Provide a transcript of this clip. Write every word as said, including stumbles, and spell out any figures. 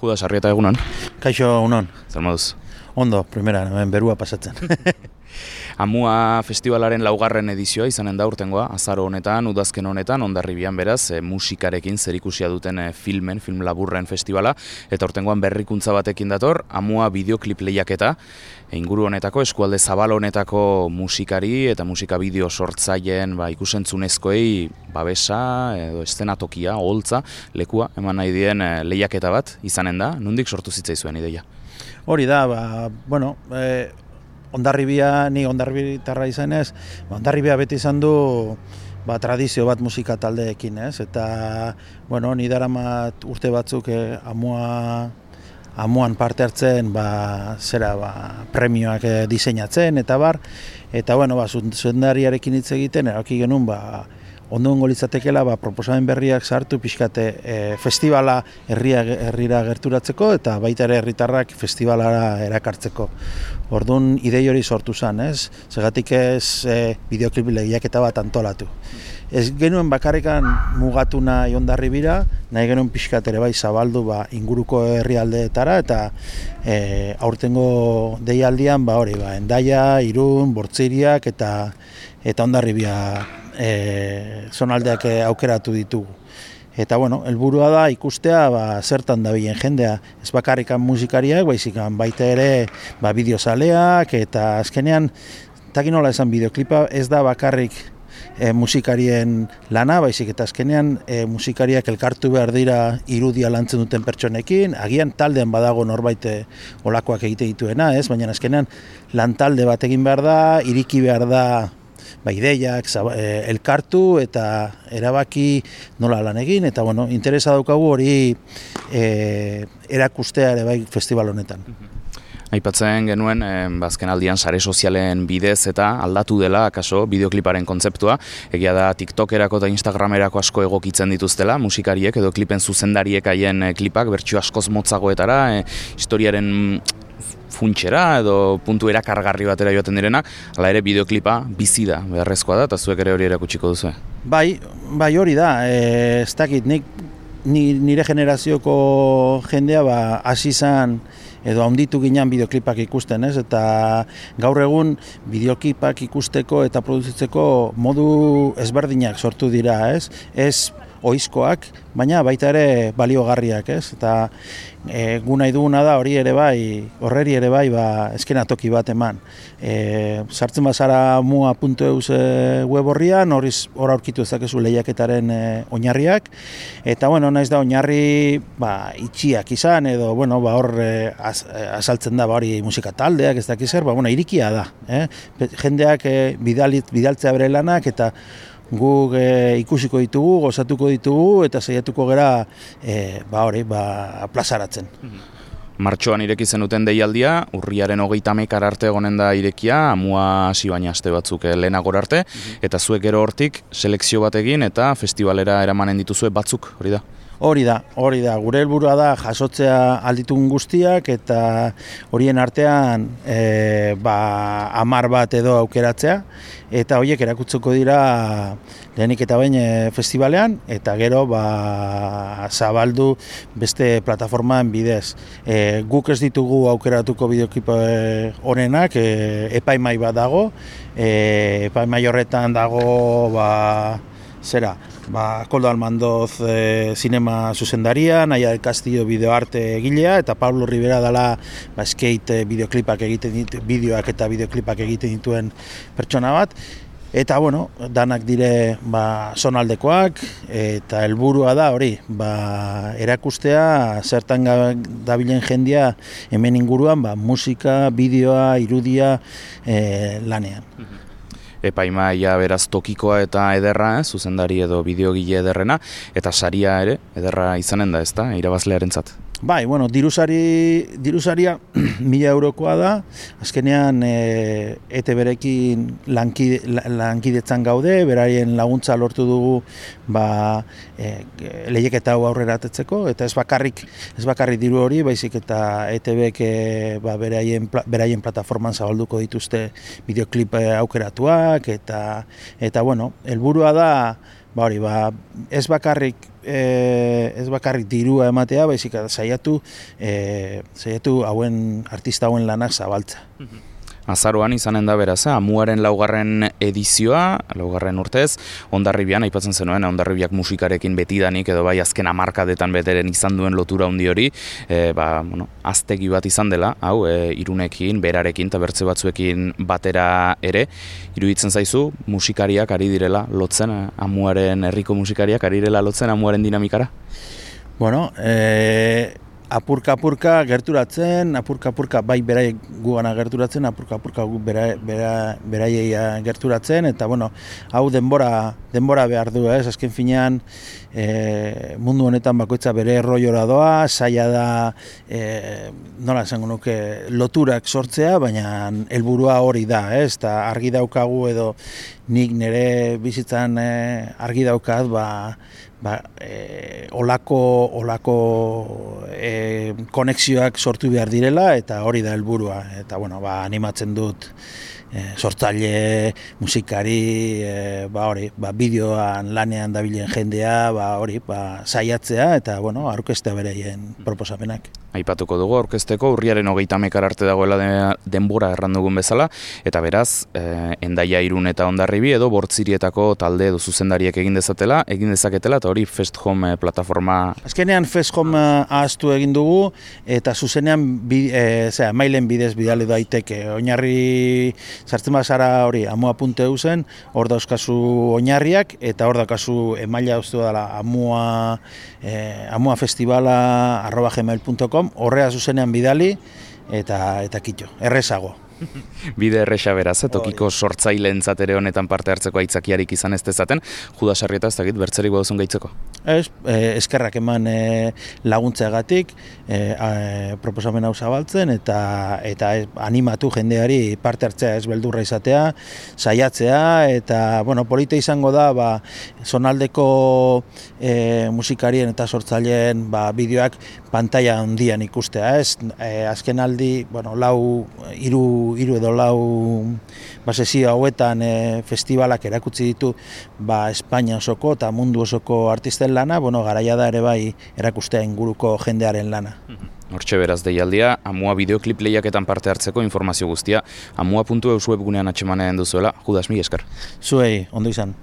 Judas Arrieta, egunon. Kaixo, unon. Zer moduz? Ondo, primera, hemen berua pasatzen. Amua festivalaren laugarren edizioa izanen da urtengoa, azaro honetan, udazken honetan, Hondarribian beraz, e, musikarekin zerikusia duten e, filmen, film laburren festivala, eta urtengoan berrikuntza batekin dator, Amua bideoklip lehiaketa, e, inguru honetako, eskualde zabal honetako musikari eta musika bideo sortzaileen ba, ikusentzunezkoei babesa, edo eszenatokia, oholtza, lekua, eman nahi dien e, lehiaketa bat izanen da, nondik sortu zitzaizuen ideia? Hori da, ba, bueno, e, Hondarribia, ni Hondarribitarra izanez, Hondarribia beti izan du ba, tradizio bat musika taldeekin, ez? Eta, bueno, ni daramat urte batzuk eh, amua, amuan parte hartzen, ba, zera, ba, premioak eh, diseinatzen, eta bar, eta, bueno, ba, zuzendariarekin hitz egiten, erabaki genuen, ba, ondoengo litzatekeela ba, proposamen berriak sartu pixkate e, festivala herria, herrira gerturatzeko eta baita ere herritarrak festivalara erakartzeko. Orduan idei hori sortu zen, ez? Segatik ez e, bideoklip lehiaketa bat antolatu. Ez genuen bakarrekan mugatu nahi Hondarribira, nahi genuen pixkat ere bai zabaldu ba, inguruko herrialdeetara eta e, aurtengo deialdian ba hori, ba, Hendaia, Irun, Bortziriak eta eta Hondarribia E, zonaldeak aukeratu ditugu. Eta, bueno, helburua da ikustea ba, zertan dabilen jendea. Ez bakarrikan musikariak, baizik baita ere ba, bideozaleak, eta azkenean, takin nola esan bideoklipa, ez da bakarrik e, musikarien lana, baizik eta azkenean e, musikariak elkartu behar dira irudia lantzen duten pertsonekin, agian taldean badago norbait olakoak egite dituena, ez? Baina azkenean lan talde bat egin behar da, iriki behar da ba, ideiak, e, elkartu eta erabaki nola lan egin, eta bueno, interesa daukagu hori e, erakustea ere bai festival honetan. Aipatzen genuen, eh, azken aldian sare sozialen bidez eta aldatu dela, akaso, bideokliparen kontzeptua, egia da TikTokerako eta Instagramerako asko egokitzen dituztela, musikariek edo klipen zuzendariek haien eh, klipak, bertsio askoz motzagoetara, eh, historiaren funtxera edo puntu erakargarri batera joaten direnak, hala ere bideoklipa bizi da, beharrezkoa da, eta zuek ere hori erakutsiko duzu. Bai, bai hori da, e, ez dakit, nik, nire generazioko jendea ba, hasi izan edo handitu ginen bideoklipak ikusten, ez? Eta gaur egun bideoklipak ikusteko eta produzitzeko modu ezberdinak sortu dira, ez? Ez ohizkoak, baina baita ere baliogarriak, ez? Eta e, gu nahi duguna da hori ere bai, horreri ere bai, ba, eskenatoki bat eman. E, sartzen bazara mua puntu eus web horrian, hor aurkitu ezakezu lehiaketaren e, oinarriak, eta bueno, naiz da oinarri ba, itxiak izan, edo bueno, ba, hor e, az, azaltzen da ba, hori musika taldeak, ez dakiz zer, ba, bueno, irikia da. Eh? Jendeak e, bidalit, bidaltzea bere lanak, eta guk e, ikusiko ditugu, gozatuko ditugu eta saiatuko gera e, ba hori, ba plazaratzen. Martxoan ireki zenuten deialdia, urriaren hogeita hamaika arte egonen da irekia, amua hasi baina aste batzuk lehenagora arte, eta zuek gero hortik selekzio bat egin eta festivalera eramanen dituzue batzuk, hori da? Hori da, hori da. Gure helburua da jasotzea alditun guztiak eta horien artean e, ba, hamar bat edo aukeratzea eta horiek erakutsuko dira lehenik eta behin festivalean eta gero ba, zabaldu beste plataformaan bidez. E, guk ez ditugu aukeratuko bideoklip honenak, e, epaimai bat dago, e, epaimai horretan dago ba, zera, ba, Koldo Almandoz e, zinema zuzendaria, Naia del Castillo bideoarte egilea, eta Pablo Rivera dela ba, skate bideoklipak egiten ditu, bideoak eta bideoklipak egiten dituen pertsona bat. Eta, bueno, danak dire ba, zonaldekoak, eta helburua da hori, ba, erakustea zertan dabilen jendia hemen inguruan ba, musika, bideoa, irudia e, lanean. Epaimaia beraz tokikoa eta ederra, eh, zuzendari edo bideogile ederrena, eta saria ere, ederra izanen da, ezta, irabazlearentzat. Bai, bueno, dirusari, dirusaria mila eurokoa da, azkenean e, E T B-rekin lankide, lankidetzan gaude, beraien laguntza lortu dugu ba, e, lehiaketa hau aurrera atetzeko, eta ez bakarrik, ez bakarrik diru hori, baizik eta E T B-ek ba, beraien, beraien plataforman zabalduko dituzte bideoklip aukeratuak, eta, eta bueno, helburua da ba hori, ba, ez bakarrik e, ez bakarrik dirua ematea, baizik saiatu e, saiatu hauen artista hauen lanak zabaltza. Azaroan izanen da beraz, Amuaren laugarren edizioa, laugarren urtez, Hondarribian, aipatzen zenuen, Hondarribiak musikarekin betidanik, edo bai azken hamarkadetan beteren izan duen lotura handi hori, e, ba, bueno, aztegi bat izan dela, hau, e, Irunekin, Berarekin, eta bertze batzuekin batera ere, iruditzen zaizu, musikariak ari direla lotzen, Amuaren herriko musikariak ari direla lotzen Amuaren dinamikara? Bueno, e... apurka-apurka gerturatzen, apurka-apurka bai beraiek gugana gerturatzen, apurka-apurka gu bera, bera, beraiei gerturatzen, eta bueno, hau denbora, denbora behar du, ez? Azken finean e, mundu honetan bakoitza bere erroiora doa, zaila da, e, nola esango nuke, loturak sortzea, baina helburua hori da, ez? Eta argi daukagu edo nik nire bizitzan e, argi daukat, ba, ba, e, olako, olako e, konexioak sortu behar direla, eta hori da helburua. Eta bueno, ba, animatzen dut e, sortzaile, musikari, e, ba, hori, ba, bideoan lanean dabilen jendea, ba, hori, ba, saiatzea, eta bueno, aurkeztea bereien proposamenak. Aipatuko dugu aurkezteko urriaren hogeita hamar arte dagoela de, denbora errandugun bezala, eta beraz, eh, Hendaia, Irun eta Hondarribi edo Bortzirietako talde edo zuzendariek egin dezatela, egin dezaketela, eta hori Fest Home plataforma... Azkenean Fest Home ahaztu egin dugu, eta zuzenean bi, e, zera, mailen bidez bidali daiteke. Oinarri sartzen bazara hori amua puntu eu zen, hor dauzkazu oinarriak, eta hor daukazu emaila uste dela amua, e, amua festivala arroba gmail puntu com, horrea zuzenean bidali, eta eta kitxo, errezago. Bide erresa beraz, tokiko sortzaileentzat ere honetan parte hartzeko aitzakiarik izan ez dezaten, Judas Arrieta ez dakit bertzerik baduzun gaitzeko? Ez, eh, eskerrak eman eh, laguntzeagatik, eh, eh, proposamen hau zabaltzen, eta eta animatu jendeari parte hartzea ez beldurra izatea, saiatzea, eta bueno, polita izango da, ba, zonaldeko eh, musikarien eta sortzaileen ba, bideoak pantalla handian ikustea, ez? Eh, azken aldi, bueno, lau, hiru hiru edo lau basezio hauetan e, festivalak erakutsi ditu ba, Espainia osoko eta mundu osoko artisten lana, bueno, garaia da ere bai erakustea inguruko jendearen lana. Hortxe beraz deialdia, Amua bideoklip lehiaketan parte hartzeko informazio guztia, amua puntu eus webgunean atxemanen duzuela. Judas, mi esker. Zuei, ondo izan.